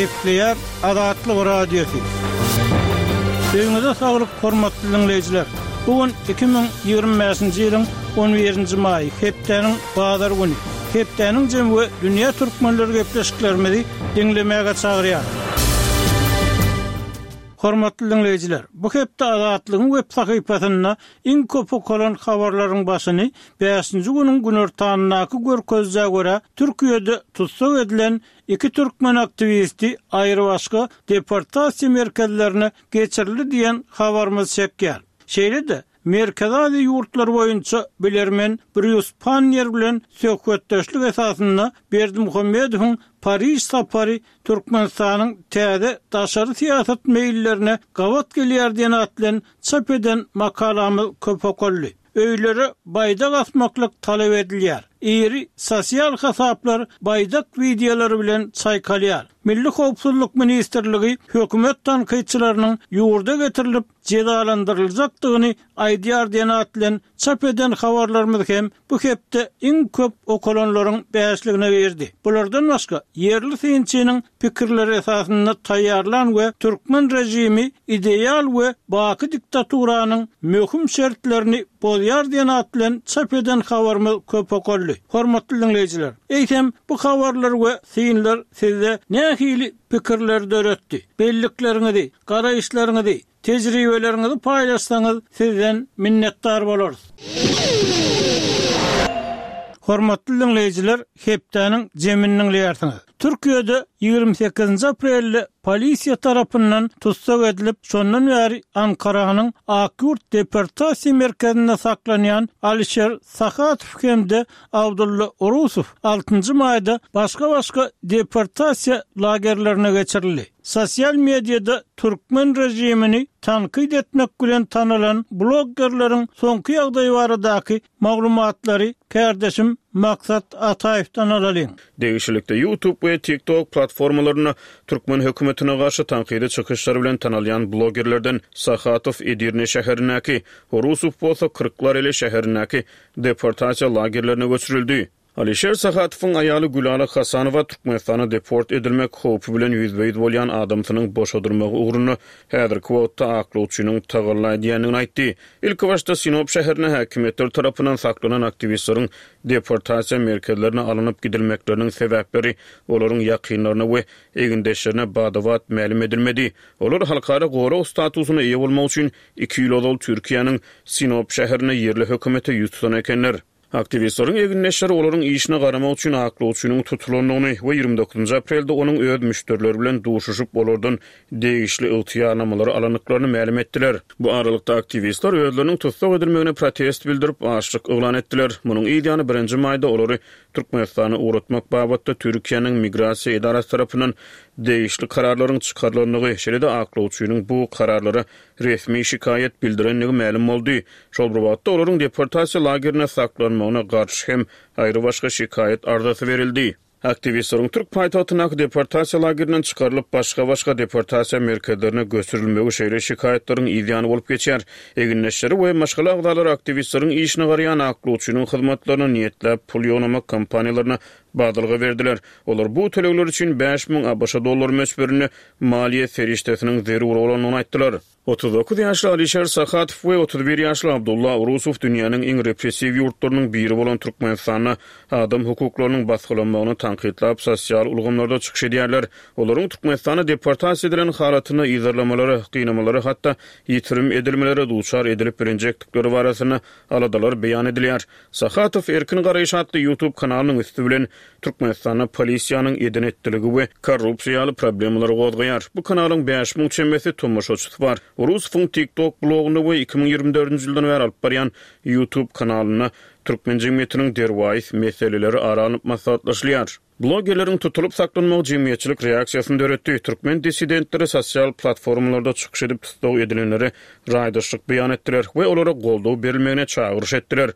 Gepleýär Azatlyk Radiosy. Öýüňize saglyk hormatly diňleýjiler! Bu gün 2025-nji ýylyň on birinji maýy, hepdäniň bazar güni. Hepdäniň jemi we dünýä türkmenleri gepleşiklerimizi diňlemäge çagyrýar. Hormatly diňleýjiler, bu hepde Azatlygyň web sahypasynda iň köp okalan habarlaryň başyny bäşinji günüň günortanyndaky görkezijä görä, Türkiýede tussag edilen iki türkmen aktiwisti aýrybaşga deportasiýa merkezlerine geçirildi diýen habarymyz çekýär. Şeýle-de, Merkezi Aziýa ýurtlary boýunça bilermen Brýus Panniýer bilen söhbetdeşlik esasynda Berdimuhamedowyň Pariž sapary Türkmenistanyň täze daşary syýasat meýillerine gabat gelýär diýen at bilen çap eden makalamyz köp okaldy. Öýlere baýdak asmaklyk talap edilýär. Iri sosial hasaplar baýdak wideolary bilen çaýkalýar. Milli howpsuzlyk ministrligi hökümet tankytçylarynyň ýurda getirilip jezalandyryljakdygyny aýdýar diýen at bilen çap eden habarlarymyz hem bu hepde iň köp okalanlaryň bäşligine girdi. Bulardan başga, ýerli synçynyň pikirleri esasynda taýýarlan we türkmen režimi ideal we baky diktaturanyň möhüm şertlerini bozýar diýen at bilen çap eden habarymyz köp okaldy. Hormatly diňleýjiler, eýsem, bu habarlar we synlar sizde nähili pikirleri döretdi? Bellikleriňizi, garaýyşlaryňyzy Tejribeleriňizi paýlaşsaňyz sizden minnetdar bolarys. Hormatly diňleýjiler hepdäniň jemini diňleýärsiňiz. Türkiýede 28-nji aprelde polisiýa tarapyndan tussag edilip, şondan bäri Ankaranyň Akýurt deportasiýa merkezinde saklanýan Alişer Sahatow hem-de Abdulla Urusow altynjy maýda başga-başga deportasiýa lagerlerine geçirildi. Sosial mediada türkmen režimini tankyt etmek bilen tanalan bloggerleriň soňky ýagdaýy baradaky maglumatlary kärdeşim Maksat Ataýewden alalyň. Degişlilikde YouTube we TikTok platformalarynda türkmen hökümetine garşy tankydy çykyşlary bilen tanalýan bloggerlerden Sahatow Edirne şäherindäki, Horusow bolsa Kyrklareli şäherindäki deportasiýa lagerlerine göçürildi. Alişer Sahatowyň aýaly Gülala Hasanowa Türkmenistana deport edilmek howpy bilen ýüzbe-ýüz bolýan adamsynyň boşadylmagy ugrunda häzirki wagtda aklawçynyň tagalla edýändigini aýtdy. Ilkibaşda Sinop şäherinde häkimiýetler tarapyndan saklanan aktiwistleriň deportasiýa merkezlerine alnyp gidilmekleriniň sebäpleri olaryň ýakynlaryna we egindeşlerine bada-bat mälim edilmedi. Olar halkara gorag statusyna eýe bolmak üçin iki ýyl ozal Türkiýäniň Sinop şäherinde ýerli hökümete ýüz tutan ekenler. Aktiwistleriň egindeşleri olaryň işine garamak üçin aklawçynyň tutulandygyny we 29 aprelde onuň öz müşderileri bilen duşuşyp, olardan degişli ygtyýarnamalary alandyklaryny mälim etdiler. Bu aralykda, aktiwistler özleriniň tussag edilmegine protest bildirip, açlyk yglan etdiler. Munuň yz ýany birinji maýda olary Türkmenistana ugratmak babatda Türkiýäniň Migrasiýa edarasy tarapyndan degişli kararlaryň çykarylandygy, şeýle-de aklawçynyň bu kararlara resmi şikaýat bildirendigi mälim boldy. Şol bir wagtda, olaryň deportasiýa lagerinde saklanmagyna garşy hem aýrybaşga şikaýat arzasy berildi. Aktiwistleriň türk paýtagtyndaky deportasiýa lagerinden çykarylyp, başga-başga deportasiýa merkezlerine göçürilmegi şeýle şikaýatlaryň yzýany bolup geçýär. Egindeşleri we maşgala agzalary aktiwistleriň işine garaýan aklawçynyň hyzmatlaryna niýetläp pul ýygnamak kampaniýalaryna badalga berdiler. Olar bu tölegler üçin 5000 ABŞ dollary möçberinde maliýe serişdesiniň zerur bolandygyny aýtdylar. 39 ýaşly Alişer Sahatow we 31 ýaşly Abdulla Urusow dünýäniň iň repressiw ýurtlarynyň biri bolan Türkmenistanda adam hukuklarynyň basgylanmagyny tankytlap sosial ulgamlarda çykyş edýärler. Olaryň Türkmenistana deportasiýa edilen halatynda yzarlamalara, gynamalara hatda ýitirim edilmelere duçar edilip bilinjekdikleri barasynda aladalar beýan edilýär. Sahatow Erkin garaýyş atly YouTube kanalynyň üsti bilen Türkmenistanda polisiýanyň eden-etdiligi we korrupsiýa ýaly problemalary gozgaýar. Bu kanalyň 5000 çemesi tomaşaçysy bar. Urusowyň TikTok blogunda we 2024-nji ýyldan bäri alyp barýan YouTube kanalynda türkmen jemgyýetiniň derwaýys meseleleri ara alnyp maslahatlaşylýar. Blogerleriň tutulyp saklanmagy jemgyýetçilik reaksiýasyny döretdi. Türkmen dissidentleri sosial platformalarda çykyş edip tussag edilenlere raýdaşlyk beýan etdiler we olara goldaw berilmegine çagyryş etdiler.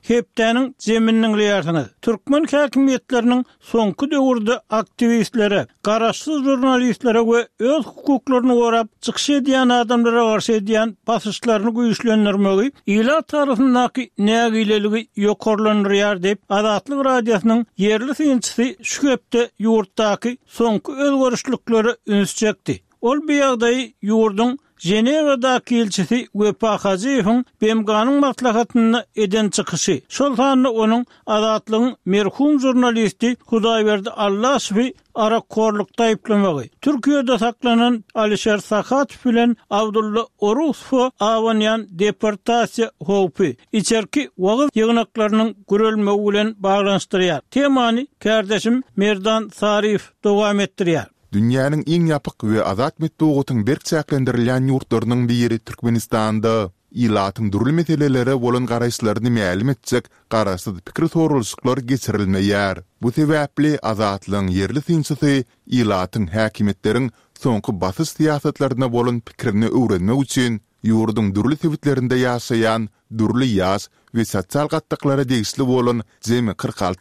Hepdäniň jemini diňleýärsiňiz. Türkmen häkimiýetleriniň soňky döwürde aktiwistlere, garaşsyz žurnalistlere we öz hukuklaryny gorap çykyş edýän adamlara garşy edýän basyşlaryny güýçlendirmegi ilat arasyndaky nägileligi ýokarlandyrýar diýip, Azatlyk Radiosynyň ýerli synçysy şu hepde ýurtdaky soňky özgerişliklere üns çekdi. Ol bu ýagdaýy ýurduň Ženewadaky ilçisi Wepa Hajyýewiň BMG-niň maslahatynda eden çykyşy, şol sanda onuň Azatlygyň merhum žurnalisti Hudaýberdi Allaşowy arakhorlukda aýyplamagy, Türkiýede saklanan Alişer Sahatow bilen Abdulla Orusowa abanýan deportasiýa howpy, içerki wagyz ýygnaklarynyň guralmagy bilen baglanyşdyrýar. Temany kärdeşim Merdan Saryýew dowam etdirýär. Dünýäniň iň ýapyk we azat metbugatyň berk çäklendirilýän ýurtlarynyň biri Türkmenistanda ilatyň dürli meselelere bolan garaýyşlaryny mälim etjek garaşsyz pikir soralyşyklar geçirilmeýär. Bu sebäpli Azatlygyň ýerli synçysy ilatyň häkimiýetleriň soňky basyş syýasatlaryna bolan pikirini öwrenmek üçin ýurduň dürli sebitlerinde ýaşaýan dürli ýaş we sosial gatlaklara degişli bolan jemi 46.